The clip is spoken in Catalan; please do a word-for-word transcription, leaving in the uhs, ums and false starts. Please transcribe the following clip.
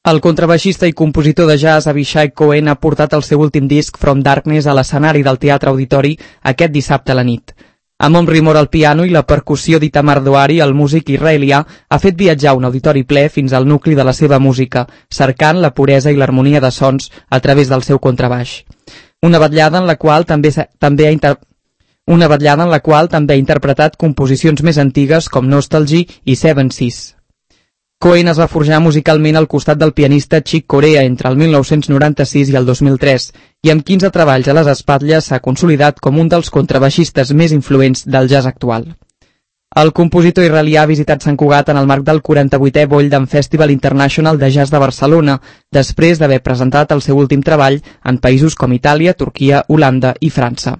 El contrabaixista i compositor de jazz Avishai Cohen ha portat el seu últim disc From Darkness a l'escenari del Teatre Auditori aquest dissabte a la nit. Amb Omri Mor al piano i la percussió d'Itamar Doari, el músic israelià ha fet viatjar un auditori ple fins al nucli de la seva música, cercant la puresa i l'harmonia de sons a través del seu contrabaix. Una vetllada en la qual també, també ha inter... una vetllada en la qual també ha interpretat composicions més antigues com Nostalgie i Seven Seas. Cohen es va forjar musicalment al costat del pianista Chick Corea entre el mil nou-cents noranta-sis i el dos mil tres i amb quinze treballs a les espatlles s'ha consolidat com un dels contrabaixistes més influents del jazz actual. El compositor israelià ha visitat Sant Cugat en el marc del quaranta-vuitè Boldam Festival International de Jazz de Barcelona, després d'haver presentat el seu últim treball en països com Itàlia, Turquia, Holanda i França.